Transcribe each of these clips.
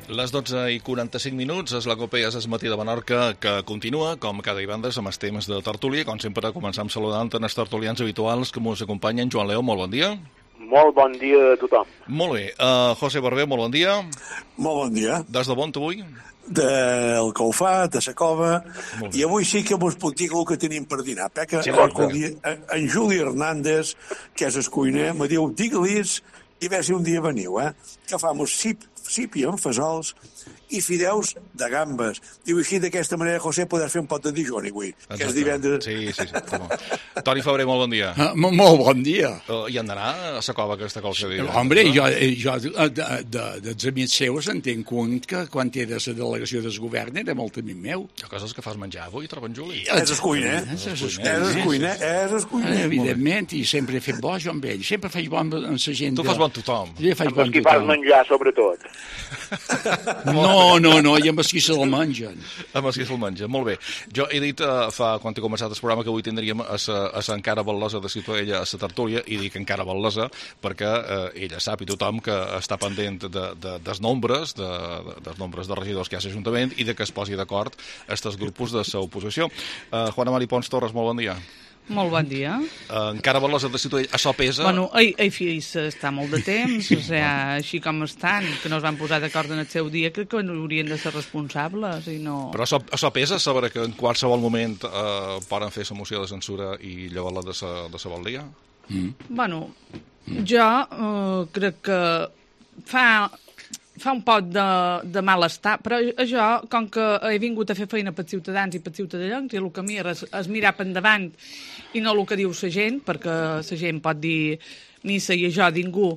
Les 12:45 és la Copa és matí de Menorca, que continua, com cada divendres, amb els temes de tertúlia. Com sempre, començam saludant els tertulians habituals que ens acompanyen. Joan Leó, molt bon dia. Molt bon dia a tothom. Molt bé. José Barber, molt bon dia. Molt bon dia. Des de on, avui? Del Calfat, de la Cova, i avui sí que vos puc dir el que tenim per dinar. Perquè en Juli Hernández, que és el cuiner, me diu, digue-lis, i ve si un dia veniu, que fam sípia amb fesols i fideus de gambes. Diu, així d'aquesta manera, José, podràs fer un pot de Dijon avui, que és divendres. Sí. Toni Febrer, molt bon dia. Molt bon dia. I han d'anar a la Cova aquesta qualsevol dia? Hombre, jo dels amics seus entenc que quan era la delegació del govern era molt amic meu. Hi ha coses que fas menjar avui, trobo en Juli. És el cuiner. És el cuiner. Evidentment, i sempre he fet bo jo amb ell. Sempre faig bo amb la gent. Tu fas bon tothom. Jo faig bon tothom. Qui fas menjar, sobretot. No, i amb els qui se'l mengen. Amb els qui se'l mengen, molt bé. Jo he dit, quan he començat el programa, que avui tindríem a l'encara Val·lesa de Ciutadella, a la tertúlia, i dic encara Val·lesa perquè ella sap, i tothom, que està pendent dels nombres de regidors que hi ha a l'Ajuntament i que es posi d'acord aquests grupos de l'oposició. Juana Mari Pons Torres, molt bon dia. Molt bon dia. Encara Val·lesa de Ciutadella, això pesa? Bueno, està molt de temps, així com estan, que no es van posar d'acord en el seu dia, crec que haurien de ser responsables i no... Però això pesa, saber que en qualsevol moment poden fer la moció de censura i llevar-la de la valdia? Bueno, jo crec que fa un pot de malestar, però jo, com que he vingut a fer feina pels ciutadans i pels ciutadans, i el que mira és mirar per endavant i no el que diu la gent, perquè la gent pot dir missa i jo, ningú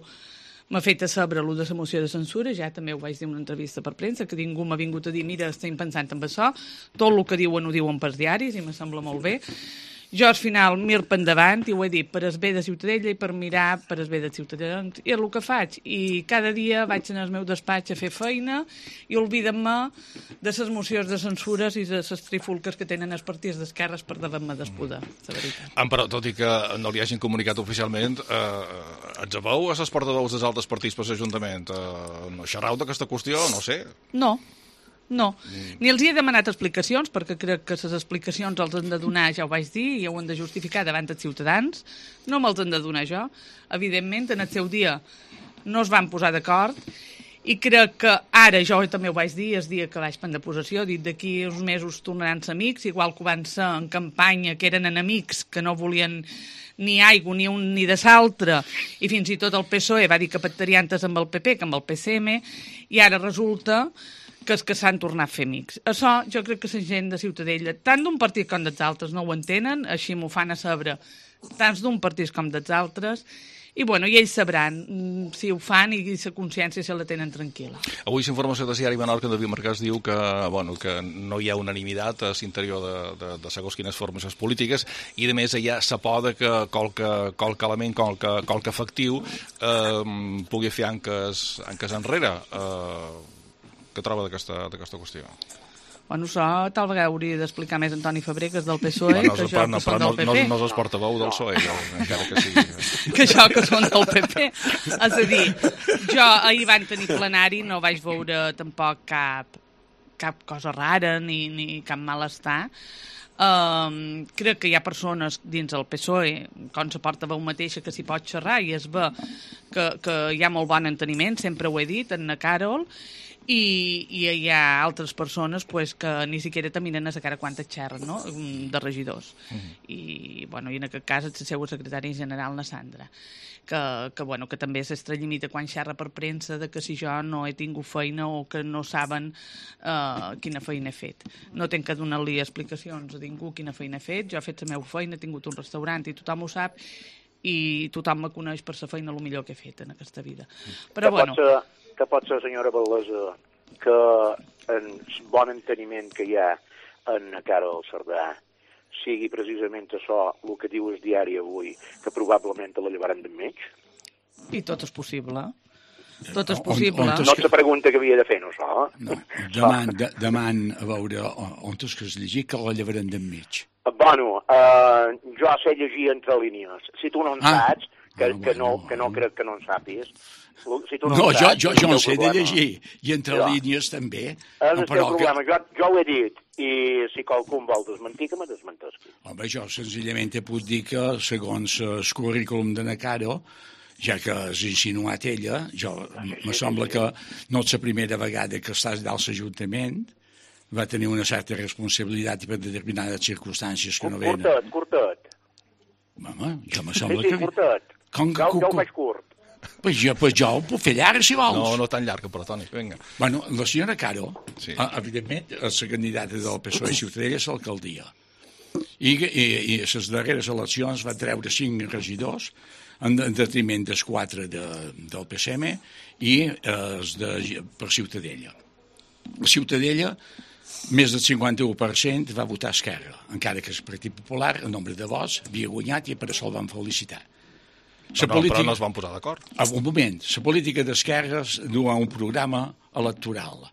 m'ha fet a saber allò de la moció de censura, ja també ho vaig dir en una entrevista per premsa, que ningú m'ha vingut a dir, mira, estem pensant en això, tot el que diuen ho diuen pels diaris i me sembla molt bé. Jo, al final, mir per endavant, i ho he dit, per el bé de Ciutadella i per mirar per el bé de ciutadans. I és el que faig. I cada dia vaig al meu despatx a fer feina i oblidem-me de les mocions de censures i de les trifulques que tenen els partits d'esquerres per davant-me del poder, la veritat. Però, tot i que no li hagin comunicat oficialment, ens veu a les portaveus dels altres partits per l'Ajuntament? No xerrau d'aquesta qüestió? No sé. No, ni els he demanat explicacions, perquè crec que les explicacions els han de donar, ja ho vaig dir, i ho han de justificar davant dels ciutadans. No me'ls han de donar jo. Evidentment, en el seu dia no es van posar d'acord, i crec que ara, jo també ho vaig dir, el dia que vaig prendre possessió, dit d'aquí uns mesos tornaran ser amics, igual que ho van ser en campanya, que eren enemics, que no volien ni aigua, ni un ni de l'altre, i fins i tot el PSOE va dir que pactarien tant amb el PP que amb el PCM, i ara resulta que és que s'han tornat a fer amics. Això jo crec que la gent de Ciutadella, tant d'un partit com dels altres, no ho entenen, així m'ho fan a saber, tant d'un partit com dels altres, i ells sabran si ho fan i la consciència se la tenen tranquil·la. Avui l'informació de Diari Menorca en David Marcàs diu que no hi ha unanimitat a l'interior de segons quines formacions polítiques i, a més, hi ha la por que qualque element, qualque efectiu pugui fer anques enrere. Què troba d'aquesta qüestió? Això tal vegada hauria d'explicar més Antoni Febrer, que és del PSOE, que jo, que són del PP. No és el portaveu del PSOE, encara que sigui. Que jo, que són del PP. És a dir, jo ahir van tenir plenari, no vaig veure tampoc cap cosa rara ni cap malestar. Crec que hi ha persones dins el PSOE, com la portaveu mateixa, que s'hi pot xerrar i es ve que hi ha molt bon enteniment, sempre ho he dit, en na Carol, i hi ha altres persones que ni siquiera taminen a la cara quan et xerren, no?, de regidors. I en aquest cas és la seva secretària general, la Sandra, que també s'extralimita quan xerra per premsa de que si jo no he tingut feina o que no saben quina feina he fet. No tinc que donar-li explicacions a ningú quina feina he fet. Jo he fet la meva feina, he tingut un restaurant i tothom ho sap i tothom me coneix per la feina el millor que he fet en aquesta vida. Però que pot ser, senyora Val·lesa, que el bon enteniment que hi ha en Carol Cerdà sigui precisament això el que diu el diari avui, que probablement la llevaran d'enmig? I tot és possible. Tot és possible. No ets la pregunta que havia de fer, no, això? No, deman a veure on és que es llegir que la llevaran d'enmig. Jo sé llegir entre línies. Si tu no en saps, que no crec que no en sàpies, No, jo en sé de llegir, i entre línies també. És el teu problema, jo ho he dit, i si qualcú em vol desmentir, que me desmentesqui. Home, jo senzillament te puc dir que, segons el currículum de Nacaro, ja que has insinuat ella, me sembla que no és la primera vegada que estàs dalt l'Ajuntament, va tenir una certa responsabilitat per determinades circumstàncies que no venen. Curtet. Home, jo me sembla que... Sí, curtet. Jo ho faig curt. Pues jo ho puc fer llarg, si vols. No tan llarg, però, Toni, vinga. Bueno, la senyora Caro, evidentment, és la candidata del PSOE Ciutadella a l'alcaldia. I les darreres eleccions va treure 5 regidors en detriment dels 4 del PSM i per Ciutadella. La Ciutadella, més del 51% va votar Esquerra, encara que el Partit Popular, el nombre de vots, havia guanyat i per això el van felicitar. Però no es van posar d'acord. Un moment, la política d'esquerres du a un programa electoral.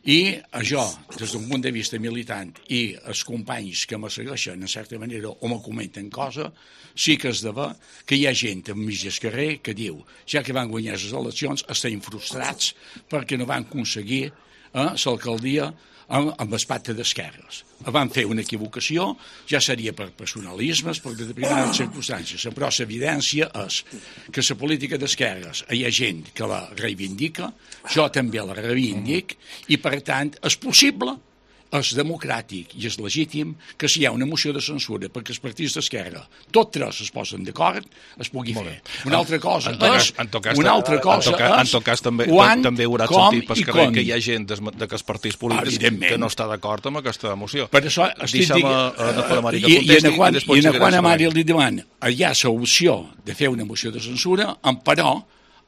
I això, des d'un punt de vista militant, i els companys que me segueixen, en certa manera, o me comenten coses, sí que és de ver que hi ha gent enmig del carrer que diu, ja que van guanyar les eleccions, estem frustrats perquè no van aconseguir l'alcaldia amb el pacte d'esquerres. Van fer una equivocació, ja seria per personalismes, per determinades circumstàncies, però l'evidència és que la política d'esquerres hi ha gent que la reivindica, jo també la reivindic, i per tant és possible, és democràtic i és legítim que si hi ha una moció de censura perquè els partits d'esquerra, tots 3 es posen d'acord, es pugui fer. Una altra cosa és... En tot cas, també haurà sentit per carrer que hi ha gent d'aquests partits polítics que no està d'acord amb aquesta moció. Per això deixa'm a Mari que contesti i en quan a Mari li demana hi ha l'opció de fer una moció de censura, però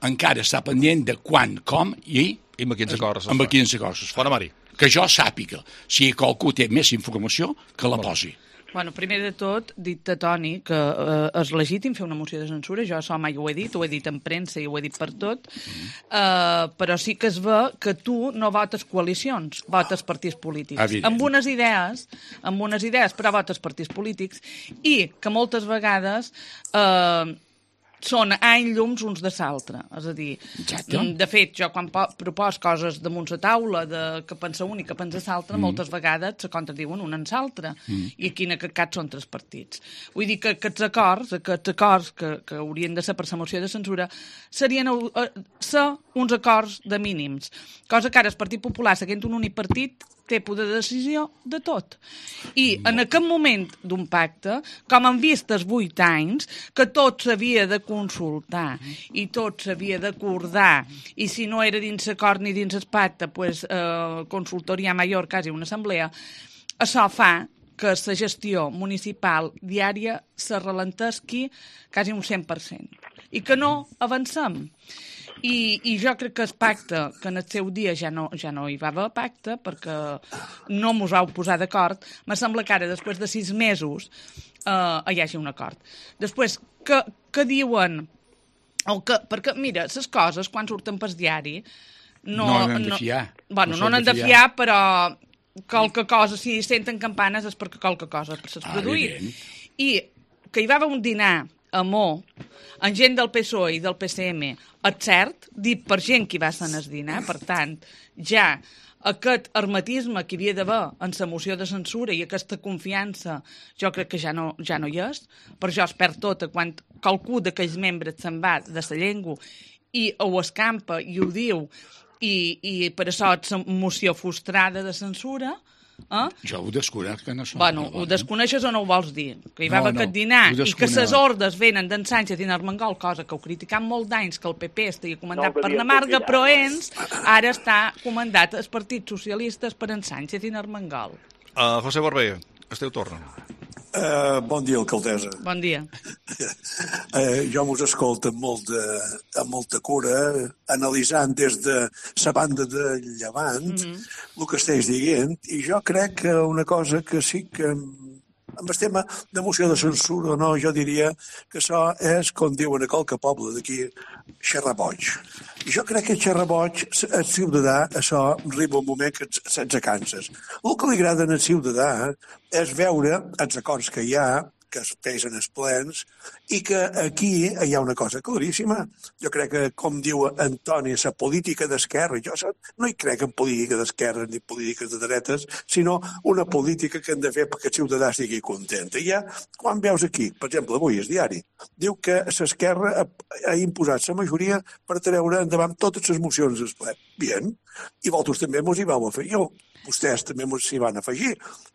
encara està pendent de quan, com i amb quins acords es fa. Bona Mari. Que jo sàpiga, si qualcú té més informació, que la posi. Bueno, primer de tot, dit a Toni que és legítim fer una moció de censura, jo això mai ho he dit en premsa i ho he dit per tot, però sí que es ve que tu no votes coalicions, votes partits polítics. Evident. Amb unes idees, però votes partits polítics, i que moltes vegades són any llums uns de l'altre. És a dir, de fet, jo quan propos coses damunt la taula que pensa un i que pensa l'altre, moltes vegades se contradiuen un en l'altre. I aquí en aquest cas són 3 partits. Vull dir que aquests acords que haurien de ser per la moció de censura serien uns acords de mínims. Cosa que ara el Partit Popular, seguint un únic partit, té poder de decisió de tot. I en aquest moment d'un pacte, com han vist els 8 anys, que tot s'havia de consultar i tot s'havia d'acordar, i si no era dins l'acord ni dins el pacte, pues, consultoria major, quasi una assemblea, això fa que la gestió municipal diària se ralentesqui quasi un 100%. I que no avancem. I jo crec que el pacte, que en el seu dia ja no hi va haver pacte, perquè no mos vau posar d'acord, me sembla que ara, després de 6 mesos, hi hagi un acord. Després, que diuen... Perquè, mira, les coses, quan surten pel diari... No n'han de fiar. Bueno, no n'han de fiar, però qualque cosa, si senten campanes és perquè qualque cosa s'ha produït. I que hi va haver un dinar a Mo, amb gent del PSOE i del PSM, és cert, dit per gent que hi va ser en el dinar, per tant, ja aquest hermetisme que hi havia d'haver en la moció de censura i aquesta confiança, jo crec que ja no hi és, per això es perd tot quan qualcú d'aquells membres se'n va de la llengua i ho escampa i ho diu, i per això és la moció frustrada de censura. Jo ho desconec, que no són. Bueno, ho desconeixes o no ho vols dir? Que hi va haver aquest dinar i que les ordres venen d'en Sánchez i d'Armengol, cosa que ho criticam molt d'anys, que el PP estigui comandat per Namarga, però ara està comandat els partits socialistes per en Sánchez i Armengol. José Barber, el teu torn. Bon dia, alcaldessa. Bon dia. Jo mos escolto amb molta cura, analitzant des de la banda de Llevant el que estàs dient, i jo crec que una cosa que sí que amb el tema de moció de censura o no, jo diria que això és, com diuen a qualque poble d'aquí, xerraboig. I jo crec que xerraboig, el ciutadà, això arriba un moment que se'ns canses. El que li agrada al ciutadà és veure els acords que hi ha que es feien els plens, i que aquí hi ha una cosa claríssima. Jo crec que, com diu Antoni, la política d'esquerra, jo no hi crec en política d'esquerra ni polítiques de dretes, sinó una política que hem de fer perquè el ciutadà estigui content. I ja, quan veus aquí, per exemple, avui el diari, diu que l'esquerra ha imposat la majoria per treure endavant totes les mocions del ple. Bien, i vosaltres també mos hi vau afegir. Vostès també s'hi van afegir.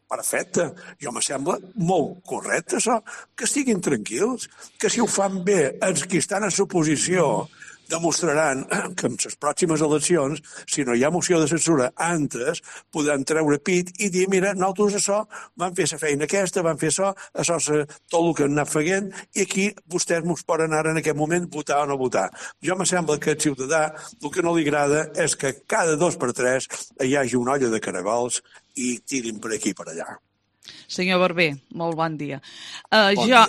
Perfecte. Jo me sembla molt correcte, això. Que estiguin tranquils, que si ho fan bé els que estan a l'oposició demostraran que en les pròximes eleccions, si no hi ha moció de censura antes, podran treure pit i dir, mira, nosaltres això, van fer la feina aquesta, van fer això és tot el que han anat fent, i aquí vostès mos poden ara en aquest moment votar o no votar. Jo me sembla que el ciutadà el que no li agrada és que cada 2 per 3 hi hagi una olla de caragols i tirin per aquí i per allà. Senyor Barber, molt bon dia. dia.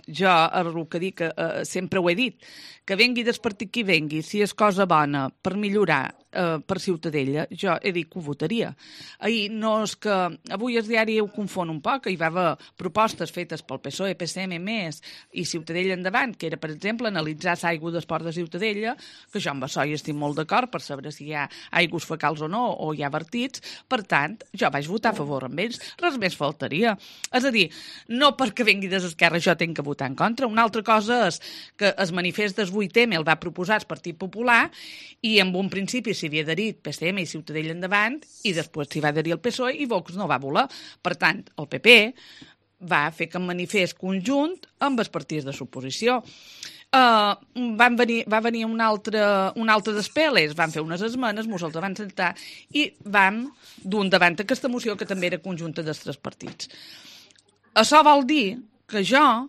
Jo el que dic, sempre ho he dit, que vengui del partit qui vengui, si és cosa bona per millorar per Ciutadella, jo he dit que ho votaria. Ahir no és que... Avui el diari ho confon un poc, hi va haver propostes fetes pel PSOE, PSM, MES i Ciutadella endavant, que era, per exemple, analitzar l'aigua d'esport de Ciutadella, que jo amb això hi estic molt d'acord per saber si hi ha aigües fecals o no, o hi ha vertits. Per tant, jo vaig votar a favor amb ells, res més faltaria. És a dir, no perquè vengui de l'esquerra jo tinc que votar en contra. Una altra cosa és que el manifest del 8M el va proposar el Partit Popular i en un principi s'hi havia adherit PSM i Ciutadella endavant i després s'hi va adherir el PSOE i Vox no va voler. Per tant, el PP va fer que manifest conjunt amb els partits de l'oposició. Va venir un altre despeles, van fer unes esmenes, mos els van sentar i vam dur endavant aquesta moció que també era conjunta dels 3 partits. Això vol dir que jo,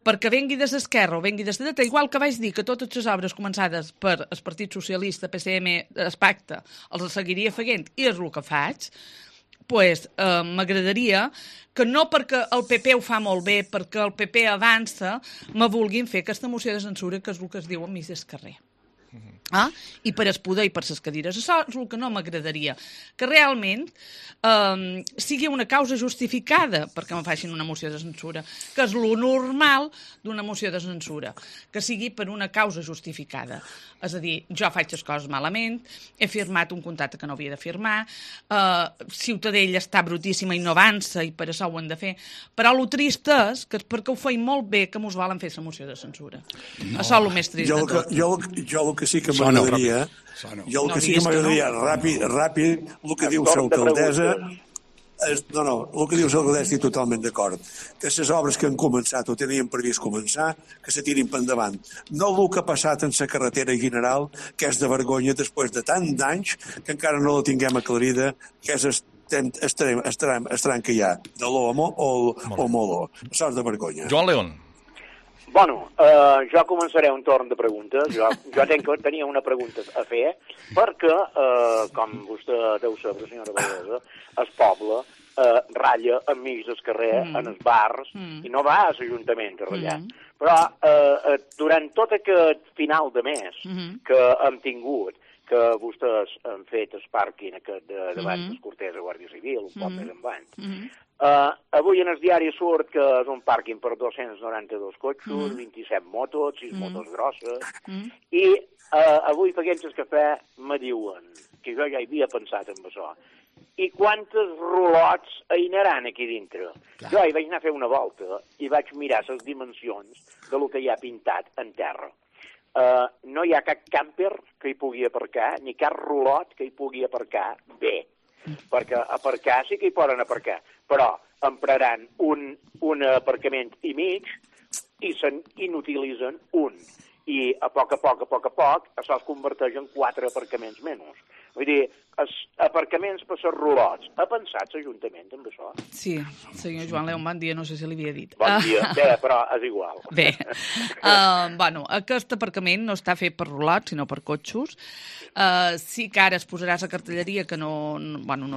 perquè vengui de l'esquerra o vengui de la dreta, igual que vaig dir que totes les obres començades per el Partit Socialista, PSM, el Pacte, els seguiria fent i és el que faig, pues, m'agradaria que no perquè el PP ho fa molt bé, perquè el PP avança, me vulguin fer aquesta moció de censura, que és el que es diu a mig del carrer. I per el poder i per les cadires. Això és el que no m'agradaria. Que realment sigui una causa justificada perquè me facin una moció de censura, que és lo normal d'una moció de censura, que sigui per una causa justificada. És a dir, jo faig les coses malament, he firmat un contracte que no havia de firmar, Ciutadella està brutíssima i no avança i per això ho hem de fer. Però el trist és que perquè ho feim molt bé que mos volen fer la moció de censura. No. Això és el més trist de tot. Jo el que sí que m'agradaria, ràpid, el que diu l'alcaldessa, el que diu l'alcaldessa estic totalment d'acord, que les obres que han començat o tenien previst començar, que se tirin per endavant. No el que ha passat en la carretera general, que és de vergonya després de tant d'anys que encara no la tinguem aclarida, que és el tram que hi ha de l'Omo o Moló. Això és de vergonya. Joan León. Bueno, jo començaré un torn de preguntes. Jo tenia una pregunta a fer, perquè, com vostè deu saber, senyora Vallesa, el poble ratlla enmig del carrer, en els bars, i no va a l'Ajuntament a ratllar. Però durant tot aquest final de mes que hem tingut, que vostès han fet el pàrquing aquest davant dels Cortès de Guàrdia Civil, un poc més endavant. Avui en el diari surt que és un pàrquing per 292 cotxos, 27 motos, 6 motos grosses, i avui fent el cafè me diuen, que jo ja hi havia pensat en això, i quantes rolots hi anaran aquí dintre? Jo hi vaig anar a fer una volta i vaig mirar les dimensions de lo que hi ha pintat en terra. No hi ha cap camper que hi pugui aparcar, ni cap rolot que hi pugui aparcar bé. Perquè aparcar sí que hi poden aparcar, però empraran un aparcament i mig i se'n inutilitzen un. I a poc, això es converteix en 4 aparcaments menys. Vull dir, els aparcaments per ser rolots. Ha pensat l'Ajuntament amb això? Sí, senyor Joan León, bon dia, no sé si li havia dit. Bon dia, bé, però és igual. Bé, aquest aparcament no està fet per rolots, sinó per cotxos. Sí que ara es posarà la cartelleria, que no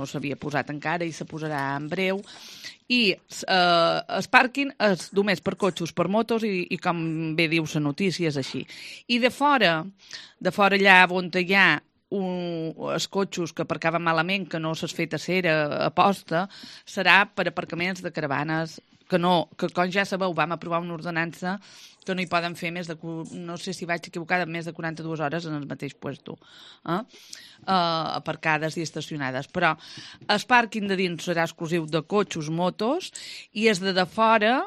s'havia posat encara i se posarà en breu, i el pàrquing és només per cotxos, per motos i com bé diu la notícia és així. I de fora allà on hi ha els cotxos que aparcaven malament, que no s'ha fet a cera a posta, serà per aparcaments de caravanes que com ja sabeu vam aprovar una ordenança que no hi poden fer més de, no sé si vaig equivocada, més de 42 hores en el mateix puesto, aparcades i estacionades. Però el pàrquing de dins serà exclusiu de cotxos, motos, i els de fora,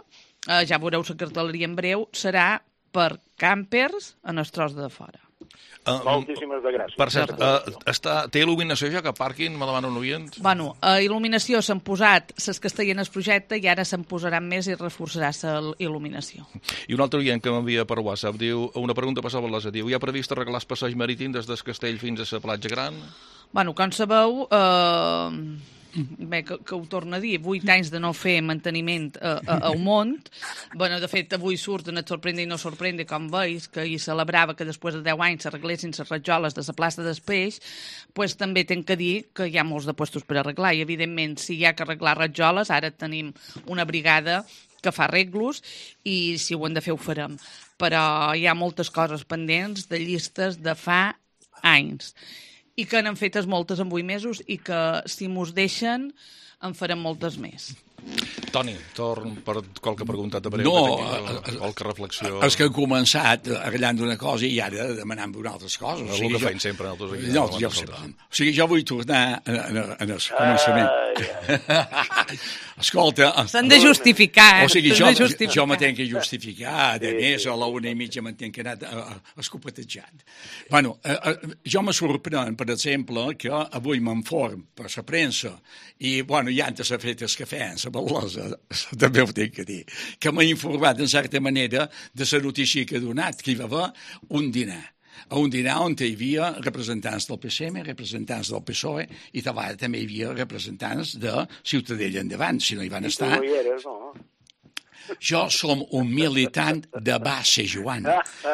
ja veureu la cartelleria en breu, serà per càmpers en el tros de fora. Moltíssimes de gràcies. Per cert, té il·luminació ja que pàrquing, me demana un oient? Bueno, a il·luminació s'han posat les que estaven al projecte i ara se'n posaran més i reforçarà la il·luminació. I un altre oient que m'envia per WhatsApp diu, una pregunta per Sabalesa, diu, hi ha previst arreglar el passeig marítim des del castell fins a la platja gran? Bueno, com sabeu, bé, que ho torno a dir, 8 anys de no fer manteniment al món. Bueno, de fet, avui surten et sorprende i no sorprende, com veus, que hi celebrava que després de 10 anys s'arreglessin les rajoles de la plaça del Peix, pues, també tenc que dir que hi ha molts de puestos per arreglar, i evidentment, si hi ha que arreglar rajoles, ara tenim una brigada que fa arreglos, i si ho hem de fer ho farem. Però hi ha moltes coses pendents de llistes de fa anys, i que n'han fetes moltes en 8 mesos i que, si mos deixen, en farem moltes més. Toni, torn per qualque pregunta de breu, qualque reflexió. És que he començat arreglant una cosa i ara demanant una altres coses. És el que feim sempre nosaltres aquí. No, ja ho sabem. O sigui, jo vull tornar en el començament. Escolta... S'han de justificar. O sigui, jo me tenc que justificar. A més, a la 1:30 me tenc que anar escopetejant. Bueno, jo me sorprèn, per exemple, que avui m'inform per la premsa i, bueno, ja antes s'ha fet el cafè en la Ballosa, també ho tinc que dir, que m'ha informat, en certa manera, de la notícia que ha donat, que hi va haver un dinar on hi havia representants del PSM, representants del PSOE, i també hi havia representants de Ciutadella Endavant, si no hi van estar. I tu no hi eres, no? Jo som un militant de base, Joan,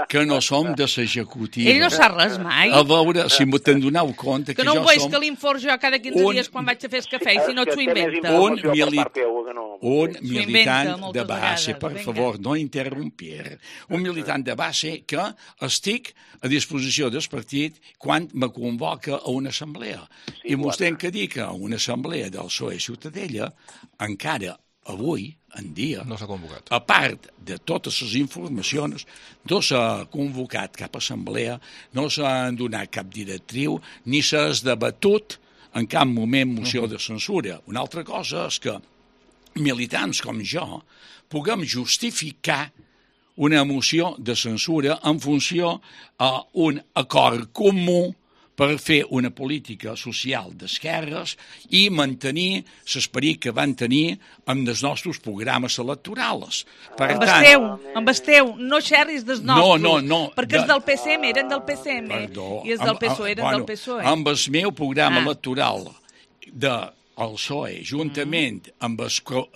que no som de l'executiva. Ell no sap res mai. A veure, si m'ho te'n doneu compte... Que no ho veus que l'inform jo cada 15 dies quan vaig a fer el cafè, i si no t'ho inventa. Un militant de base, per favor, no interrompir. Un militant de base que estic a disposició del partit quan me convoca a una assemblea. I m'ho tenc que dir que a una assemblea del PSOE Ciutadella encara avui en dia, no s'ha convocat. A part de totes les informacions, no s'ha convocat cap assemblea, no s'ha donat cap directriu, ni s'ha debatut en cap moment moció de censura. Una altra cosa és que militants com jo puguem justificar una moció de censura en funció d'un acord comú per fer una política social d'esquerres i mantenir l'esperit que van tenir amb els nostres programes electorals. Amb el teu, no xerris dels nostres. No. Perquè els del PSM eren del PSM i els del PSOE eren del PSOE. Amb el meu programa electoral del PSOE, juntament amb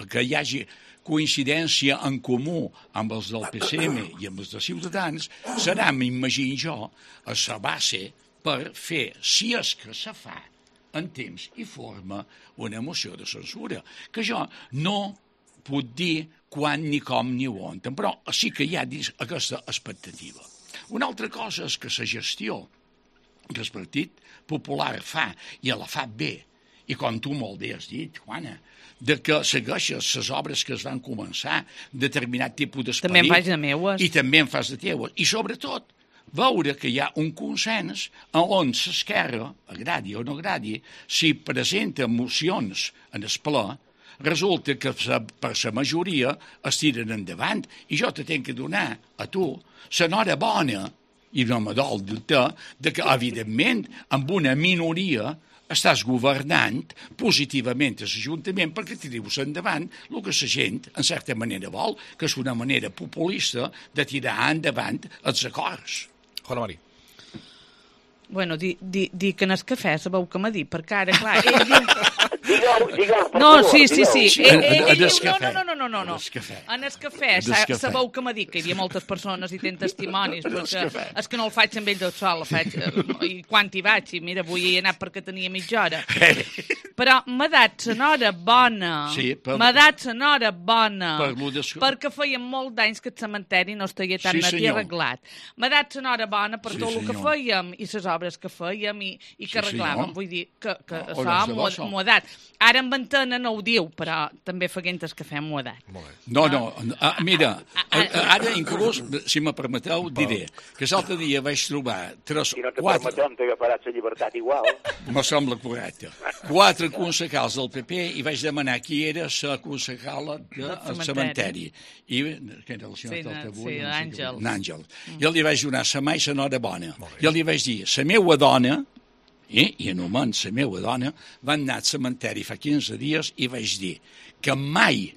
que hi hagi coincidència en comú amb els del PSM i amb els de Ciutadans, serà, m'imagino jo, a la base per fer, si és que se fa, en temps i forma, una moció de censura, que jo no puc dir quan, ni com, ni on, però sí que hi ha aquesta expectativa. Una altra cosa és que la gestió que el Partit Popular fa, i la fa bé, i com tu molt bé has dit, Juana, de que segueixes les obres que es van començar, determinat tipus d'esperit... També en faig de meues. I també en fas de teues. I sobretot, veure que hi ha un consens on l'esquerra, agradi o no agradi, si presenta mocions en el ple, resulta que per la majoria es tiren endavant. I jo te tenc que donar a tu l'enhorabona, i no me dol dubte, que, evidentment, amb una minoria estàs governant positivament a l'Ajuntament perquè tirius endavant el que la gent, en certa manera, vol, que és una manera populista de tirar endavant els acords. Juana Mari. Bueno, dic que en el cafè sabeu que m'ha dit, perquè ara, clar, ell diu... No, sí. No. En el cafè, sabeu que m'ha dit que hi havia moltes persones i tenen testimonis, perquè és que no el faig amb ell del sol, el faig, i quan hi vaig, i mira, avui he anat perquè tenia mitja hora. Però m'ha dat l'hora bona. Sí, m'ha dat l'hora bona. Perquè feien molt d'anys que el cementeri no estaria tan net i arreglat. M'ha dat l'hora bona per tot el que fèiem i les obres que fèiem i que arreglàvem. Vull dir que això m'ho ha dat. Ara en Ventana no ho diu, però també feien el cafè m'ho ha dat. No, mira, ara inclús, si me permeteu, diré que l'altre dia vaig trobar 3, 4... Si no te permetem, t'agafaràs la llibertat igual. Me sembla correcte. 4 concejals del PP i vaig demanar qui era la concejala del cementeri. I que era el senyor Taltabull? Sí, l'Àngel. Jo li vaig donar la mà i la nora bona. Jo li vaig dir, la meva dona, i en un moment la meva dona, van anar al cementeri fa 15 dies i vaig dir que mai,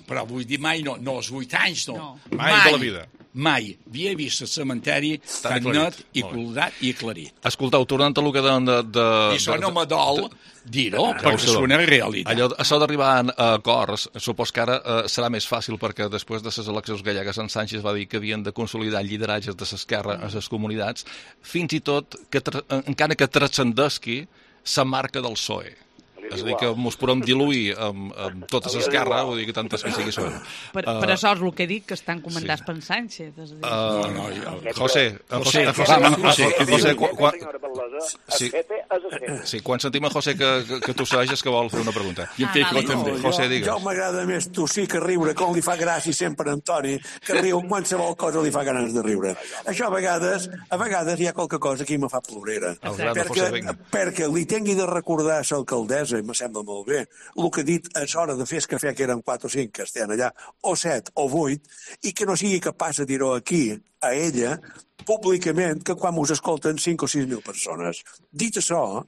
però vull dir mai no els 8 anys, no. Mai de la vida. Mai havia vist el cementeri tan net i colorat i aclarit. Escoltau, tornant a el que deuen de... I això no me dol dir-ho, perquè és una realitat. Això d'arribar a acords, supos que ara serà més fàcil, perquè després de les eleccions gallegues en Sánchez va dir que havien de consolidar lideratges de l'esquerra a les comunitats, fins i tot, encara que transcendesqui la marca del PSOE. És a dir, que ens podem diluir amb tota l'esquerra, vull dir que tantes que sigui són. Per això és el que dic, que estan comandats per Sánchez. José, quan sentim a José que tosseig és que vol fer una pregunta. I en Pico també. José, digues. Jo m'agrada més tossir que riure, com li fa gràcia sempre a Antoni, que riu qualsevol cosa li fa ganes de riure. Això a vegades hi ha qualque cosa que me fa plorera. Perquè li tingui de recordar a l'alcaldessa, i me sembla molt bé, el que ha dit és hora de fer el cafè, que eren 4 o 5 que estan allà, o 7 o 8, i que no sigui capaç de dir-ho aquí, a ella, públicament, que quan us escolten 5 o 6 mil persones. Dit això...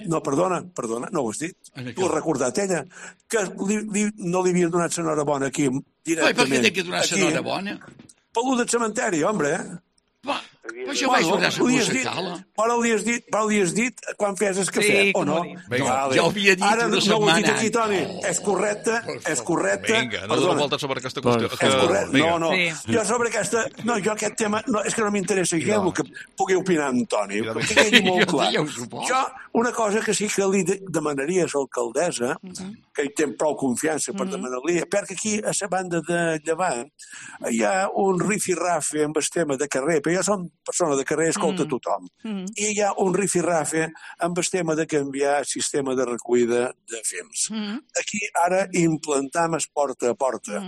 No, perdona, no ho has dit. Tu has recordat ella, que no li havien donat l'enhorabona aquí directament. Per què t'he de donar l'enhorabona? Pel del cementeri, home, Però jo vaig donar la concejala. Però li has dit quan fes el cafè, o no? Jo havia dit ara una setmana. Ara no ho has dit aquí, Toni. És correcte. Vinga, no dono voltes sobre aquesta qüestió. És correcte. No. Jo sobre aquesta... No, jo aquest tema... És que no m'interessa gens el que pugui opinar en Toni. Que quedi molt clar. Jo, una cosa que sí que li demanaria a l'alcaldessa, que hi té prou confiança per demanar-li, perquè aquí, a la banda de Llevant, hi ha un rifirrafe amb el tema de carrer, però jo som persona de carrer, escolta tothom. I hi ha un rifirrafe amb el tema de canviar el sistema de recollida de fems. Aquí ara implantam el porta a porta.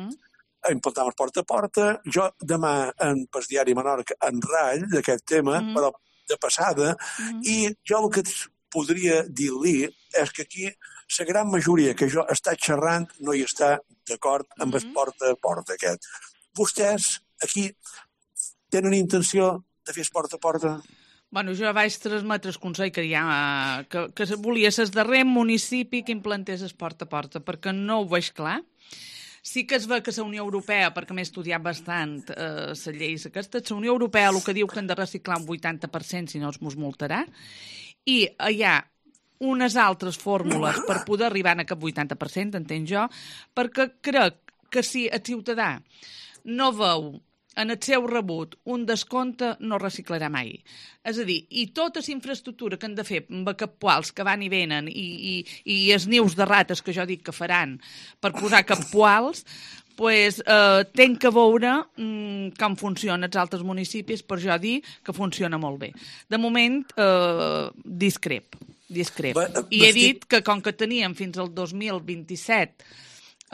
Implantam el porta a porta. Jo demà en el diari Menorca en ratll d'aquest tema, però de passada, i jo el que podria dir-li és que aquí la gran majoria que jo està xerrant no hi està d'acord amb el porta a porta aquest. Vostès aquí tenen intenció de fer porta a porta? Bueno, jo vaig transmetre el consell que volia ser el darrer municipi que implantés el porta a porta, perquè no ho veig clar. Sí que es ve que la Unió Europea, perquè m'he estudiat bastant les lleis aquestes, la Unió Europea el que diu que han de reciclar un 80%, si no es mos multarà, i hi ha unes altres fórmules per poder arribar a aquest 80%, entenc jo, perquè crec que si el ciutadà no veu en el seu rebut un descompte, no reciclarà mai. És a dir, i tota la infraestructura que han de fer amb cappuals que van i venen i els nius de rates que jo dic que faran per posar cappuals, pues, tenc que veure com funcionen els altres municipis per jo dir que funciona molt bé. De moment, discrep. I he dit que com que teníem fins al 2027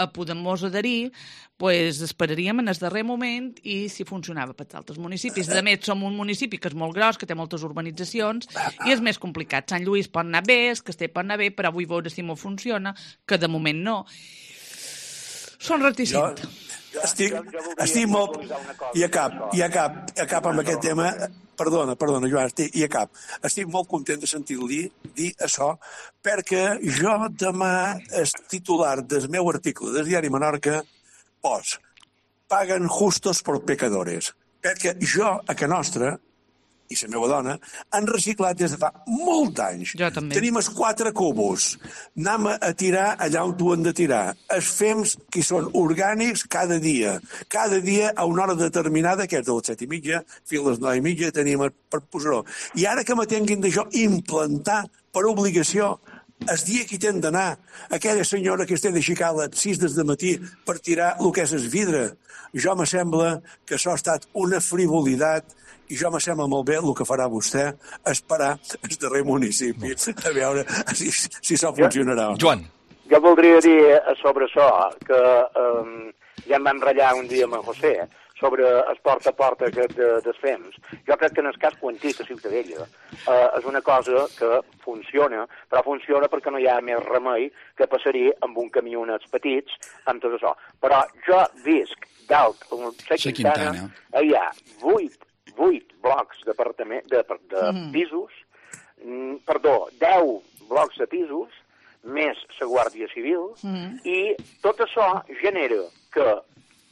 a poder-nos adherir, pues esperaríem en el darrer moment i si funcionava per als altres municipis. A més, som un municipi que és molt gros, que té moltes urbanitzacions i és més complicat. Sant Lluís pot anar bé, el Castell pot anar bé, però vull veure si m'ho funciona, que de moment no. Són reticents. Estic molt... I acab amb aquest tema... Perdona, Joan, i acab. Estic molt content de sentir-li dir això, perquè jo demà el titular del meu article del diari Menorca paguen justos por pecadores. Perquè jo, a Can Nostra, i la meva dona, han reciclat des de fa molts anys. Jo també. Tenim els 4 cubos. Anem a tirar allà on ho han de tirar. Els fems que són orgànics cada dia. Cada dia a una hora determinada, que és de les 7:30, fins a les 9:30, tenim per posar-ho. I ara que me tinguin d'això implantar per obligació el dia que hi tenen d'anar, aquella senyora que es té d'aixecar a les 6 del matí per tirar el que és el vidre, jo me sembla que això ha estat una frivolitat i jo me sembla molt bé el que farà vostè esperar el darrer municipi a veure si això funcionarà. Joan. Jo voldria dir sobre això que ja em vam ratllar un dia amb en José sobre el porta a porta dels FEMS. Jo crec que en el cas quantit a Ciutadella és una cosa que funciona, però funciona perquè no hi ha més remei que passaria amb un camionets petits, amb tot això. Però jo visc dalt, a la Quintana, hi ha 8 blocs de pisos, 10 blocs de pisos, més la Guàrdia Civil, i tot això genera que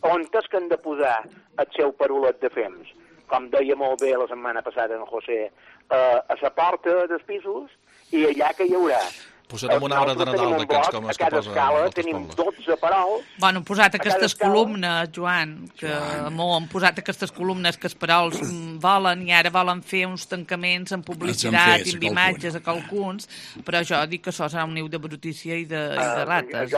on és que han de posar el seu parolet de FEMS? Com deia molt bé la setmana passada en José, a la porta dels pisos i allà que hi haurà. Posarem un arbre de Nadal d'aquests com els que posen a cada escala tenim 12 parols. Bueno, han posat aquestes columnes, Joan, que han posat aquestes columnes que els parols volen i ara volen fer uns tancaments en publicitat i amb imatges a qualcuns, però jo dic que això serà un niu de brutícia i de rates.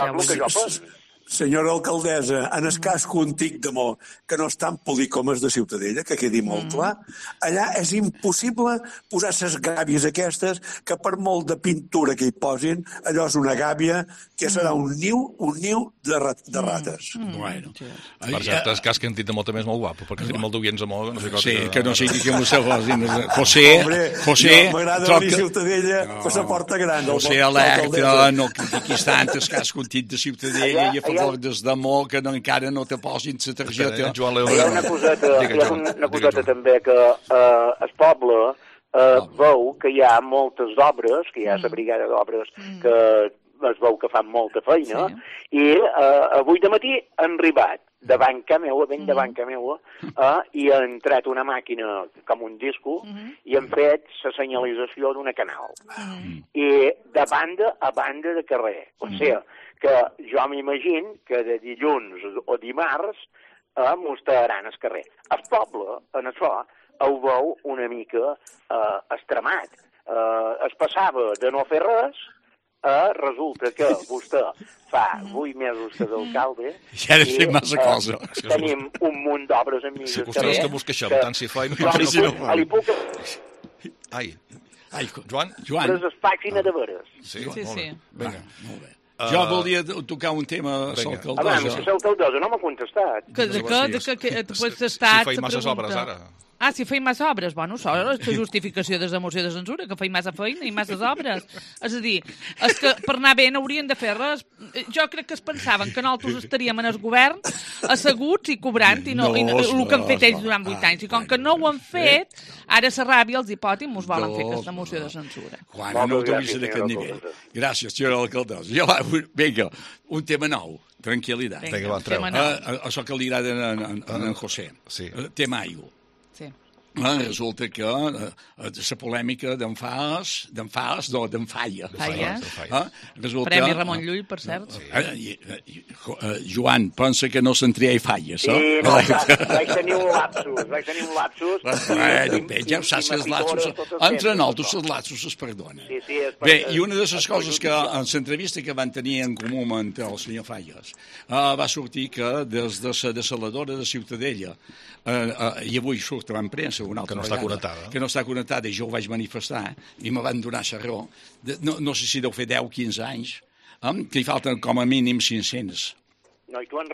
Senyora alcaldessa, en el cas contic de Mo, que no és tan públic com és de Ciutadella, que quedi molt clar, allà és impossible posar les gàbies aquestes, que per molt de pintura que hi posin, allò és una gàbia que serà un niu de rates. Bueno. Per cert, el cas que hem dit de Mo també és molt guapo, perquè tenim molt d'oients a Mo. Sí, que no sigui que vostè José... M'agrada venir a Ciutadella, que se porta gran. José alerta, no critiquis tant el cas contit de Ciutadella i a favor des de Mo, que encara no te posin la targeta. Hi ha una coseta també que el poble veu que hi ha moltes obres, que hi ha la brigada d'obres que es veu que fan molta feina, i avui de matí han arribat de banca meua, ben de banca meua, i han entrat una màquina com un disco i han fet la senyalització d'una canal. I de banda a banda de carrer. O sigui, que jo m'imagino que de dilluns o dimarts mostraran el carrer. El poble, en això, ho veu una mica extremat. Es passava de no fer res, resulta que vostè fa 8 mesos que d'alcalde i massa cosa. Tenim un munt d'obres en mig del carrer. Si vostès que us queixeu, tant si fa i li puc... Ai, Joan? Però és pàgina de veres. Sí. Vinga, molt bé. Jo volia tocar un tema a l'alcaldessa. Abans, que l'alcaldessa no m'ha contestat. De què t'ho estat? Si feim masses obres, ara. Ah, si feim massa obres? Bueno, això és la justificació de la moció de censura, que feim massa feina i masses obres. És a dir, és que per anar bé no haurien de fer res. Jo crec que es pensaven que nosaltres estaríem en el govern asseguts i cobrant i el que han fet ells durant 8 anys. I com que no ho han fet, ara la ràbia els hipòtims mos volen fer aquesta moció de censura. Juan, no t'ho d'aquest nivell. Gràcies, senyora alcaldessa. Vinga, un tema nou. Tranquil·litat. Això que li agrada a en José. Tema aigua. Resulta que la polèmica d'en Falla. Premi Ramon Llull, per cert. Joan, pensa que no se'n tria i falles, no? Sí, vaig tenir un lapsus. Ja ho saps, els lapsus... Entre nosaltres, els lapsus es perdonen. Bé, i una de les coses que en l'entrevista que van tenir en comú amb el senyor Falles va sortir que des de la desaladora de Ciutadella, i avui surt en premsa una altra vegada, que no està connectada, i jo ho vaig manifestar, i me van donar la raó, no sé si deu fer 10 o 15 anys, que hi falten com a mínim 500. No, i tu han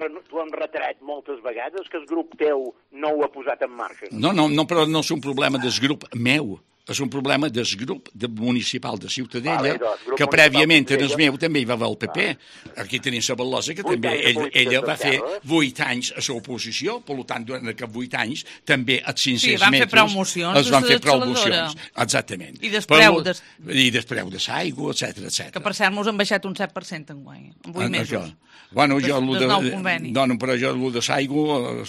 retret moltes vegades que el grup teu no ho ha posat en marxa. No, però no és un problema del grup meu. és un problema del grup municipal de Ciutadella, que prèviament en el meu també hi va haver el PP. Aquí tenim la Bal·losa, que també ella va fer 8 anys a l'oposició, per tant, durant aquests 8 anys, també a 500 metres es van fer prou mocions. Exactament. I despreu de l'aigua, etc. Que per cert mos han baixat un 7% enguany, en 8 mesos. Bueno, jo però jo el de l'aigua,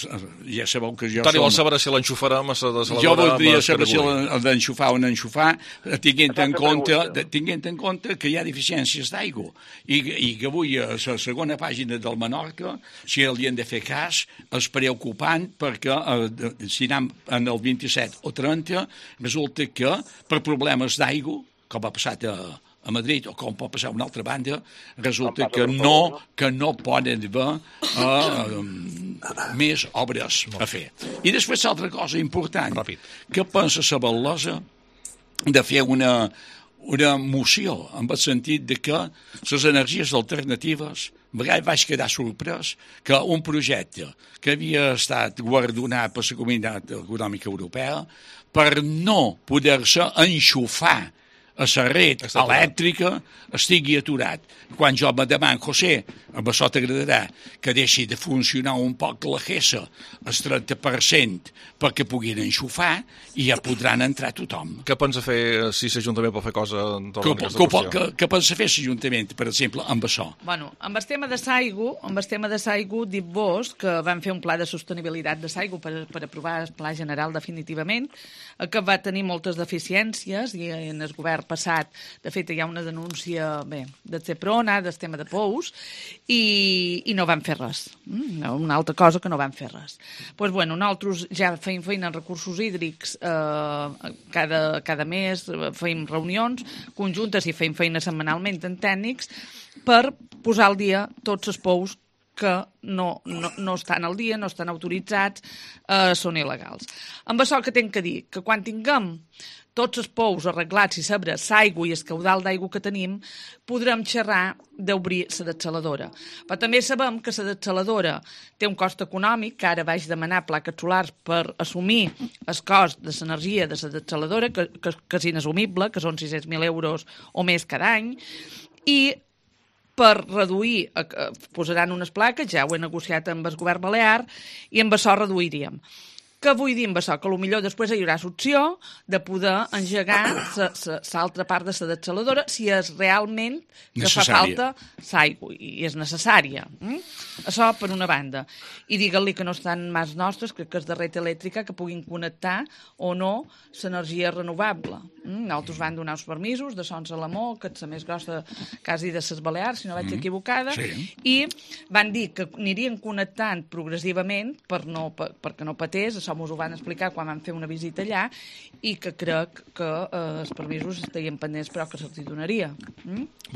ja sabeu que jo... Toni, vols saber si l'enxufarem a la desaladora? Jo voldria saber si l'enxufar o no enxufar, tinguent en compte que hi ha deficiències d'aigua i que avui a la segona pàgina del Menorca, si li han de fer cas, és preocupant perquè si anem en el 27 o 30, resulta que per problemes d'aigua, com ha passat a Madrid, o com pot passar a una altra banda, resulta que no poden haver més obres a fer. I després l'altra cosa important, què pensa la Bal·losa de fer una moció, en el sentit de que les energies alternatives, vaig quedar sorprès que un projecte que havia estat guardonat per la Comunitat Econòmica Europea per no poder-se enxufar a la red elèctrica estigui aturat. Quan jo me demano, José, amb això t'agradarà que deixi de funcionar un poc la GESA el 30% perquè puguin enxufar i ja podran entrar tothom. Què pensa fer si l'Ajuntament pot fer cosa en torn d'aquesta qüestió? Què pensa fer l'Ajuntament, per exemple, amb això? Bueno, amb el tema de l'aigua, dic-vos que van fer un pla de sostenibilitat de l'aigua per aprovar el pla general definitivament, que va tenir moltes deficiències i en el govern passat, de fet, hi ha una denúncia de Ceprona, del tema de Pous, i no van fer res. Una altra cosa que no van fer res. Doncs, bueno, nosaltres ja feim feina en recursos hídrics cada mes, feim reunions conjuntes i feim feina setmanalment en tècnics per posar al dia tots els pous que no estan al dia, no estan autoritzats, són il·legals. Amb això que tinc que dir, que quan tinguem tots els pous arreglats i saber l'aigua i el caudal d'aigua que tenim, podrem xerrar d'obrir la dessaladora. Però també sabem que la dessaladora té un cost econòmic, que ara vaig demanar plaques solars per assumir el cost de l'energia de la dessaladora, que és inassumible, que són 600.000 euros o més cada any, i per reduir, posaran unes plaques, ja ho he negociat amb el govern balear, i amb això reduiríem. Què vull dir amb això? Que potser després hi haurà l'opció de poder engegar l'altra part de la dessaladora si és realment que fa falta l'aigua i és necessària. Això per una banda. I digue-li que no estan mans nostres, crec que és de red elèctrica, que puguin connectar o no l'energia renovable. Nosaltres van donar uns permisos de Sons Alamó, que és la més grossa quasi de les Balears, si no vaig equivocada, i van dir que anirien connectant progressivament perquè no patés. Això m'ho van explicar quan vam fer una visita allà i que crec que els permisos estaven pendents però que se'ls donaria.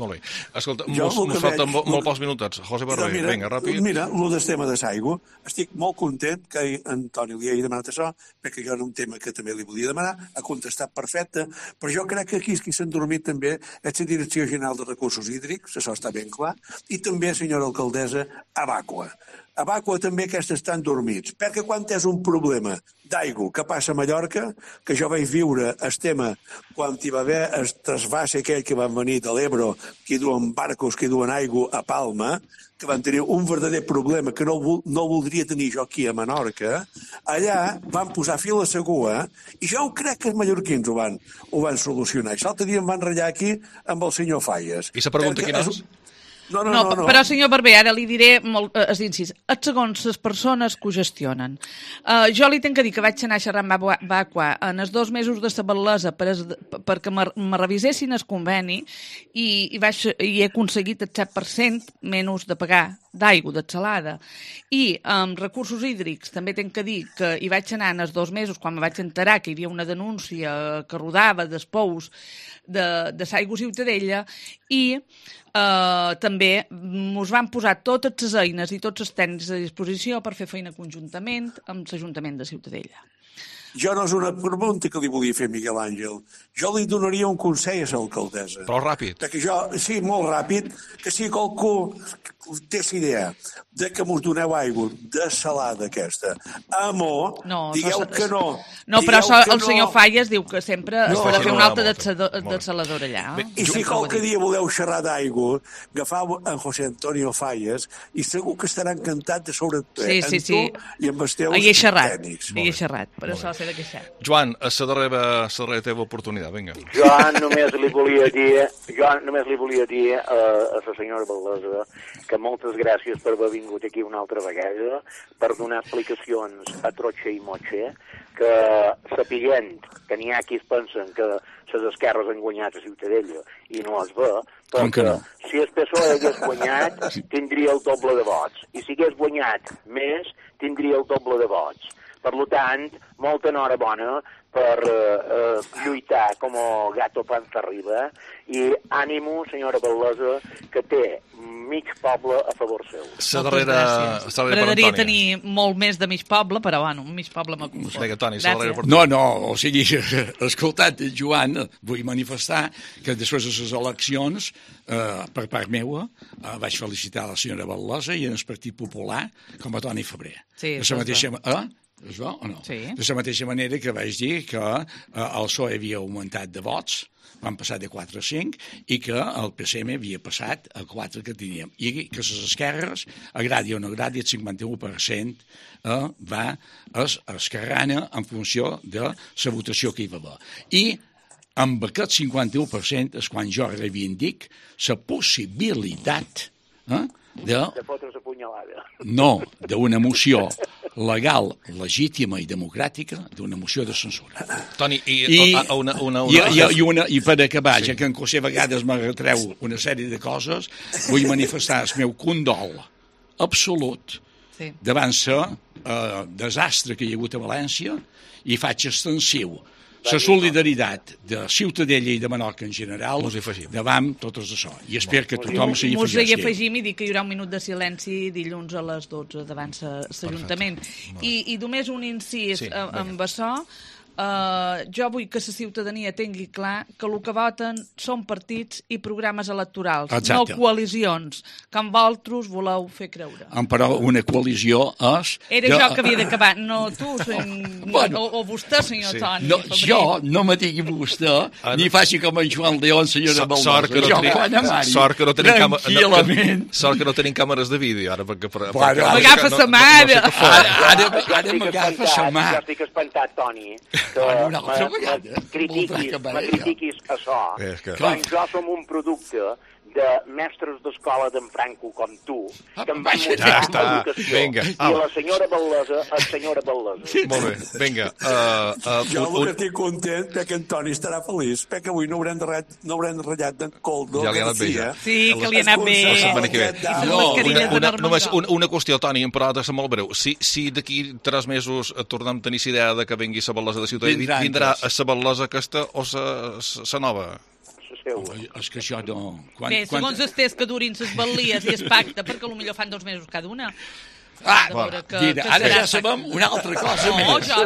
Molt bé. Escolta, mos falten molt pocs minutets. José Barber, vinga, ràpid. Mira, el tema de l'aigua, estic molt content que Antoni li hagi demanat això, perquè jo era un tema que també li volia demanar, ha contestat perfecte, però jo crec que aquí qui s'ha endormit també és la Direcció General de Recursos Hídrics, això està ben clar, i també, senyora alcaldessa, Abaqua. A Bàqua també aquests estan dormits, perquè quan és un problema d'aigua que passa a Mallorca, que jo vaig viure el tema quan hi va haver el trasbàs aquell que van venir de l'Ebro, que duen barcos, que duen aigua a Palma, que van tenir un verdader problema que no voldria tenir jo aquí a Menorca, allà van posar fil a l'aigua i jo crec que els mallorquins ho van solucionar. I l'altre dia em van ratllar aquí amb el senyor Falles. I la pregunta quina és? No. Però, senyor Barber, ara li diré els incís. Segons les persones que ho gestionen. Jo li tenc que dir que vaig anar a xerrar amb Abaqua en els 2 mesos de la Bal·losa perquè me revisessin el conveni i he aconseguit el 7% menys de pagar d'aigua, d'atxalada. I amb recursos hídrics també tenc que dir que hi vaig anar en els 2 mesos quan me vaig enterar que hi havia una denúncia que rodava dels pous de l'aigua Ciutadella i també ens van posar totes les eines i tots els tècnics a disposició per fer feina conjuntament amb l'Ajuntament de Ciutadella. Jo no és una pregunta que li volia fer Miguel Àngel. Jo li donaria un consell a l'alcaldessa. Però ràpid. Que jo, sí, molt ràpid, que si qualcú té la idea de que mos doneu aigua dessalada aquesta, amor, digueu que no. No, però el senyor Falles diu que sempre es pot fer una altra dessaladora allà. I si qualque dia voleu xerrar d'aigua, agafau en José Antonio Falles i segur que estarà encantat de sobre tu i amb els teus tècnics. Hi he xerrat, per això s'ha de queixar. Joan, a la darrera teva oportunitat, vinga. Jo només li volia dir a la senyora Baldesa que moltes gràcies per haver vingut aquí una altra vegada, per donar explicacions a trotxa i motxa, que sapiguent que n'hi ha qui es pensen que les esquerres han guanyat a Ciutadella i no es ve, perquè si el PSOE hagués guanyat tindria el doble de vots, i si hagués guanyat més tindria el doble de vots. Per tant, molta enhorabona per lluitar com a gato panza arriba, i ànimo, senyora Baldesa, que té mig poble a favor seu. M'agradaria tenir molt més de mig poble, però bueno, mig poble m'ha confós. No, o sigui, escoltat, Joan, vull manifestar que després de les eleccions, per part meua, vaig felicitar la senyora Baldesa i en el Partit Popular com a Toni Febrer. Sí, de la mateixa és bo o no? Sí. De la mateixa manera que vaig dir que el PSOE havia augmentat de vots, van passar de 4 a 5, i que el PSM havia passat a 4 que teníem. I que les esquerres, agradi o no agradi, el 51% va esquerrana en funció de la votació que hi va haver. I amb aquest 51% és quan jo reivindic la possibilitat de fotre's a punyalada. No, d'una moció legal, legítima i democràtica, d'una moció de censura. Toni, I per acabar, ja que en José a vegades me retreu una sèrie de coses, vull manifestar el meu condol absolut davant el desastre que hi ha hagut a València i faig extensiu la solidaritat de Ciutadella i de Menorca en general davant tot això. I espero que tothom s'hi afegeixi. Mos hi afegim i dic que hi haurà un minut de silenci dilluns a les 12 davant l'Ajuntament. I només un incís amb això. Jo vull que la ciutadania tingui clar que el que voten són partits i programes electorals, no coalicions, com vosaltres voleu fer creure. Però una coalició és... Era jo que havia d'acabar, no tu, o vostè, senyor Toni. Jo no me digui vostè, ni faci com en Joan León, senyora Baldesa. Sort que no tenim càmeres de vídeo, ara, perquè... M'agafa sa mare! Ara m'agafa sa mare. Jo estic espantat, Toni, que critiquis això, quan jo som un producte de mestres d'escola d'en Franco com tu, que em van mostrar l'educació, i la senyora Baldesa és senyora Baldesa. Molt bé, vinga. Jo el que estic content perquè en Toni estarà feliç, perquè avui no haurem ratllat d'en Coldo. Ja li ha anat bé, ja. Sí, que li ha anat bé. Només una qüestió, Toni, però ha de ser molt breu. Si d'aquí 3 mesos tornem a tenir idea de que vengui la Baldesa de Ciutadella, vindrà a la Baldesa aquesta o la nova? És que això no... Bé, segons els tests que durin les bal·lies i es pacta, perquè potser fan 2 mesos cada una. Ara ja sabem una altra cosa més. No, jo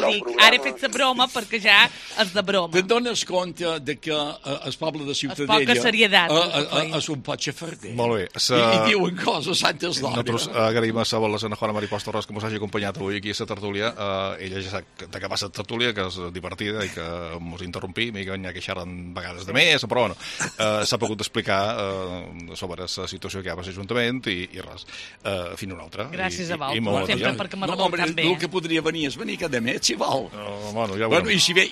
dic, ara he fet la broma perquè ja és de broma. Te'n dones compte de que el poble de Ciutadella poca serietat és un pot xafarder. Molt bé. I diuen coses santes d'hora. Nosaltres agraïm a la Juana Maripós Torres que ens hagi acompanyat avui aquí a la tertúlia. Ella ja sap d'acabar la tertúlia, que és divertida i que ens interrompim i que n'hi ha que xerren vegades de més, però bueno, s'ha pogut explicar sobre la situació que hi ha a l'Ajuntament i res. Fins una altra. Gràcies a vosaltres, sempre perquè m'ha rebut tan bé. El que podria venir és venir cada mes, si vol. I si ve...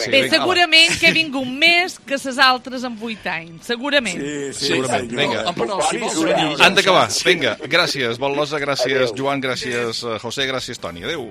Bé, segurament que he vingut més que les altres en 8 anys. Segurament. Sí, segurament. Vinga. Han d'acabar. Vinga, gràcies, Baldesa, gràcies, Joan, gràcies, José, gràcies, Toni. Adéu.